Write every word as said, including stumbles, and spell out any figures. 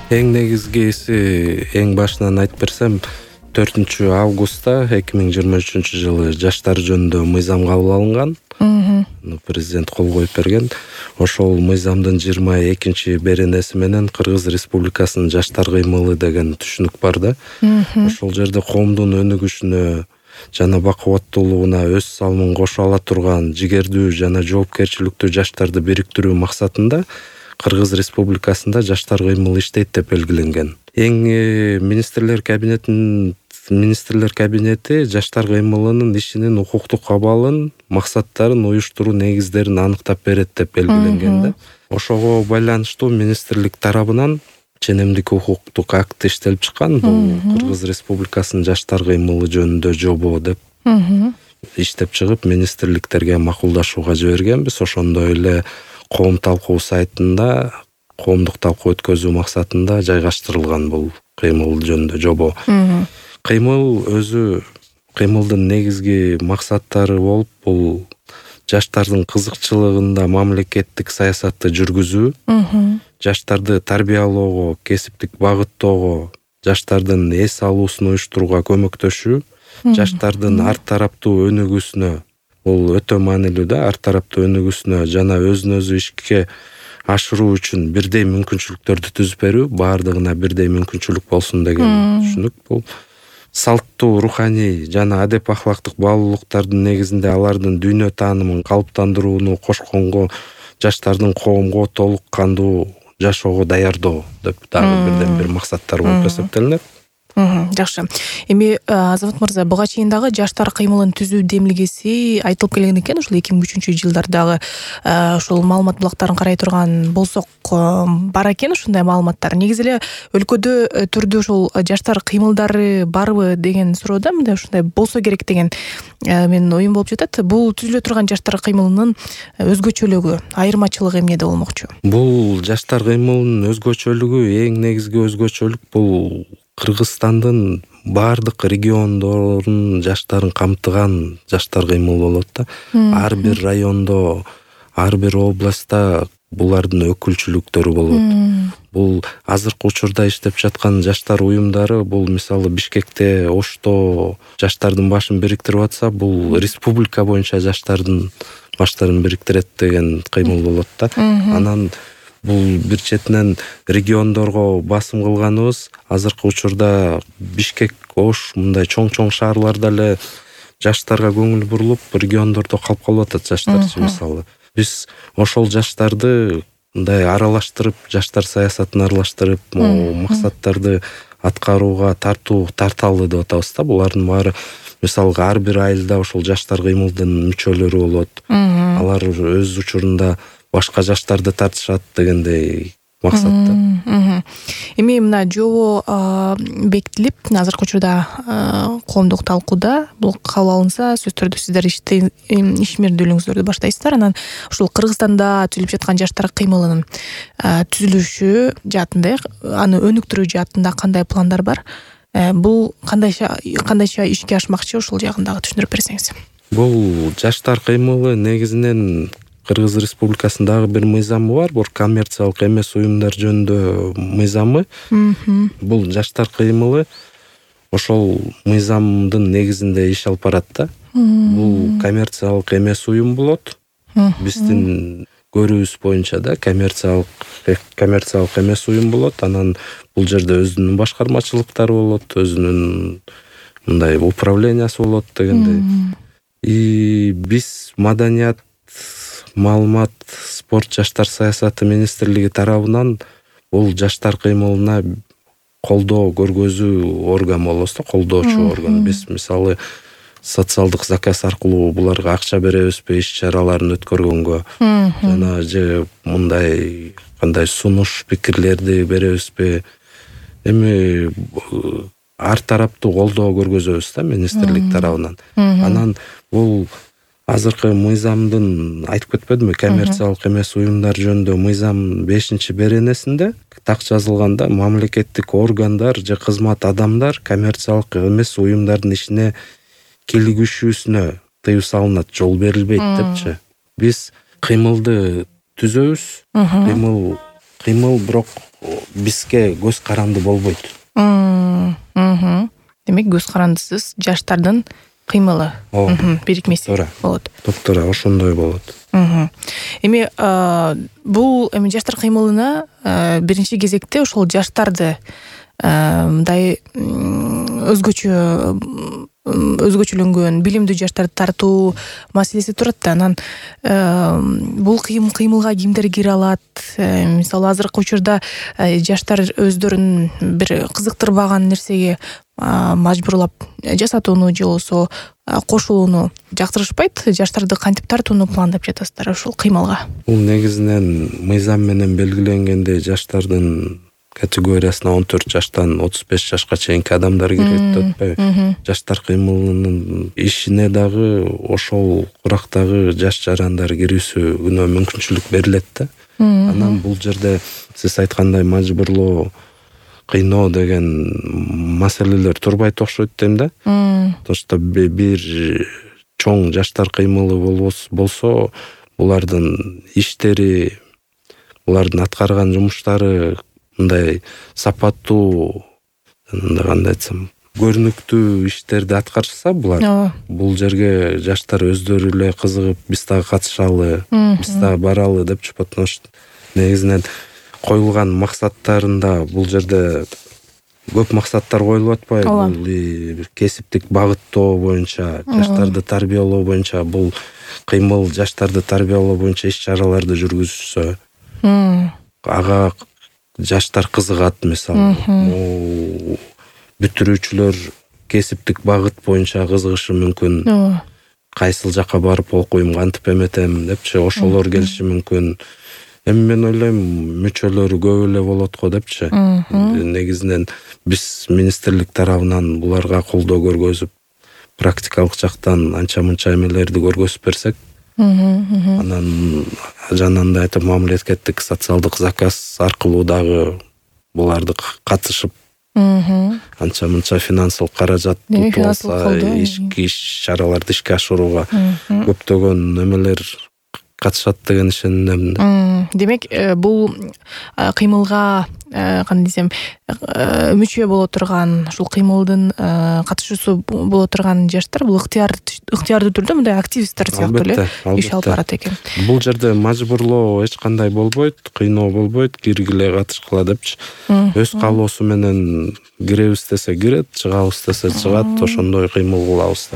Эң негизгиси, эң башынан айтып берсем, төртүнчү августта эки миң жыйырма үчүнчү жылы жаштар жөнүндө мыйзам кабыл алынган. Президент кол коюп берген. Ошол мыйзамдын жыйырма экинчи беренеси менен Кыргыз Республикасынын жаштар кыймылы деген түшүнүк бар да. Ошол жерде коомдун өнүгүшүнө жана бакубаттуулугуна өз салымын кошо ала турган жигердүү жана жоопкерчиликтүү жаштарды бириктирүү максатында Кыргыз Республикасында жаштар кыймылы иштейт деп белгиленген. Эң министрлер кабинетинин министрлер кабинети жаштар кыймылынын ишинин укуктук абалын, максаттарын уюштуруу негиздерин аныктап берет деп белгиленген да. Ошого байланыштуу министрлик тарабынан ченемдик укуктук акт иштелип чыккан. Бул Кыргыз Республикасынын жаштар кыймылы жөнүндө жобо деп иштеп чыгып, министрликтерге макулдашууга жибергенбиз. Ошондой эле коом талкуу сайтында коомдук талкуу өткөзүү максатында жайгаштырылган бул кыймыл жөнүндө жобо. Кыймыл өзү кыймылдын негизги максаттары болуп, бул жаштардын кызыкчылыгында мамлекеттик саясатты жүргүзүү, жаштарды тарбиялоого, кесиптик багыттоого, жаштардын эс алуусун уюштурууга көмөктөшүү, жаштардын ар тараптуу өнүгүүсүнө, бул өтө маанилүү да, ар тараптуу өнүгүүсүнө жана өзүн өзү ишке ашыруу үчүн бирдей мүмкүнчүлүктөрдү түзүп берүү, баардыгына бирдей мүмкүнчүлүк болсун деген түшүнүк. Бул салттуу, руханий жана адеп ахлактык баалуулуктардын негизинде алардын дүйнө таанымын калыптандырууну кошконго, жаштардын коомго толук кандуу жашоого даярдоо деп дагы бирден бир максаттар болуп эсептелинет. Жакшы. Эми Азамат мырза, буга чейин дагы жаштар кыймылын түзүү демилгеси айтылып келген экен. Ошол эки миң үчүнчү жылдардагы ошол маалымат булактарын карай турган болсок, бар экен ушундай маалыматтар. Негизи эле өлкөдө түрдүү ошол жаштар кыймылдары барбы деген суроодо мындай ушундай болсо керек деген менин оюм болуп жатат. Бул түзүлө турган жаштар кыймылынын өзгөчөлүгү, айырмачылыгы эмнеде болмокчу? Бул жаштар кыймылынын өзгөчөлүгү, эң негизги өзгөчөлүк бул Кыргызстандын бардык региондорунун жаштарын камтыган жаштар кыймыл болот да. Ар бир райондо, ар бир областта булардын өкүлчүлүктөрү болот. Бул азыркы учурда иштеп жаткан жаштар уюмдары, бул мисалы Бишкекте, Ошто жаштардын башын бириктирип атса, бул республика боюнча жаштардын баштарын бириктирет деген кыймыл болот да. Анан бул бир четинен региондорго басым кылганыбыз, азыркы учурда Бишкек, Ош мындай чоң-чоң шаарларда эле жаштарга көңүл бурулуп, региондордо калып калып атат жаштарчы мисалы. Биз ошол жаштарды мындай аралаштырып, жаштар саясатын аралаштырып, максаттарды аткарууга тартуу тарталы деп атабыз да. Булардын баары мисалы ар бир айылда ошол жаштар кыймылдын мүчөлөрү болот. Алар өз учурунда башка жаштарды тартышат дегендей максатта. Эми мына жобо бекитилип, азыркы учурда коомдук талкууда, бул кабыл алынса, сөзсүз түрдө сиздер ишмердүүлүгүңүздөрдү баштайсыздар. Анан ушул Кыргызстанда түзүлүп жаткан жаштар кыймылынын түзүлүшү жаатында, аны өнүктүрүү жаатында кандай пландар бар? Бул кандайча кандайча ишке ашмакчы, ошол жагын дагы түшүндүрүп берсеңиз. Бул жаштар кыймылы негизинен Кыргыз Республикасындагы бир мыйзамы бар, бул коммерциялык эмес уюмдар жөнүндө мыйзамы. Бул жаштар кыймылы ошол мыйзамдын негизинде иш алып барат да. Бул коммерциялык эмес уюм болот. Биздин көрүүбүз боюнча да коммерциялык коммерциялык эмес уюм болот. Анан бул жерде өзүнүн башкармачылыктары болот, өзүнүн мындай управлениясы болот дегендей. И биз маданият, маалымат, спорт, жаштар саясаты министрлиги тарабынан бул жаштар кыймылына колдоо көргөзүү орган болобуз да, колдоочу орган. Биз мисалы социалдык заказ аркылуу буларга акча беребизби иш чараларын өткөргөнгө, жана же мындай кандай сунуш пикирлерди беребизби, эми ар тараптуу колдоо көргөзөбүз да министрлик тарабынан. Анан бул азыркы мыйзамдын айтып кетпедимби, коммерциялык эмес уюмдар жөнүндө мыйзам бешинчи беренесинде так жазылганда, мамлекеттик органдар же кызмат адамдар коммерциялык эмес уюмдардын ишине кийлигишүүсүнө тыюу салынат, жол берилбейт депчи. Биз кыймылды түзөбүз, кыймыл кыймыл, бирок бизге көз каранды болбойт. Демек көз карандысыз жаштардын кыймылы бирикмеси болот. Туура ошондой болот. Эми бул эми жаштар кыймылына биринчи кезекте ошол жаштарды мындай өзгөчө өзгөчөлөнгөн билимдүү жаштарды тартуу маселеси турат да. Анан бул кыймылга кимдер кире алат? Мисалы азыркы учурда жаштар өздөрүн бир кызыктырбаган нерсеге мажбурлап жасатууну же болбосо кошулууну жактырышпайт. Жаштарды кантип тартууну пландап жатасыздар ушул кыймылга? Бул негизинен мыйзам менен белгиленгендей жаштардын категориясына он төрт жаштан отуз беш жашка чейинки адамдар кирет деп атпайбы? Жаштар кыймылынын ишине дагы ошол курактагы жаш жарандар кирүүсүнө мүмкүнчүлүк берилет да. Анан бул жерде сиз айткандай мажбурлоо, кыйноо деген маселелер турбайт окшойт дейм да. Потому что бир чоң жаштар кыймылы болсо, булардын иштери, булардын аткарган жумуштары мындай сапаттуу, кандай айтсам, көрүнүктүү иштерди аткарышса булар, бул жерге жаштар өздөрү эле кызыгып, биз дагы катышалы, биз дагы баралы деп чыгып, потому что негизинен коюлган максаттарында бул жерде көп максаттар коюлуп атпайбы? Бул кесиптик багыттоо боюнча, жаштарды тарбиялоо боюнча, бул кыймыл жаштарды тарбиялоо боюнча иш-чараларды жүргүзүшсө, ага жаштар кызыгат. Мисалы, бүтүрүүчүлөр кесиптик багыт боюнча кызыгышы мүмкүн. Кайсыл жака барып окуйм, кантип эметем депчи, ошолор келиши мүмкүн. Эми мен ойлойм, мүчөлөрү көп эле болот го депчи. Негизинен биз министрлик тарабынан буларга колдоо көргөзүп, практикалык жактан анча-мынча эмелерди көргөзүп берсек, анан жанагындай айтып, мамлекеттик социалдык заказ аркылуу дагы буларды катышып, анча-мынча финансылык каражат утуп алса, иш чараларды ишке ашырууга көптөгөн эмелер катышат деген ишенем. Демек, бул кыймылга кандай десем, мүчө боло турган, ушул кыймылдын катышуусу боло турган жаштар бул ыктыярдуу түрдө мындай активисттер сыяктуу эле иш алып барат экен. Бул жерде мажбурлоо эч кандай болбойт, кыйноо болбойт, киргиле катышкыла депчи. Өз каалоосу менен киребиз десе кирет, чыгабыз десе чыгат, ошондой кыймыл кылабыз.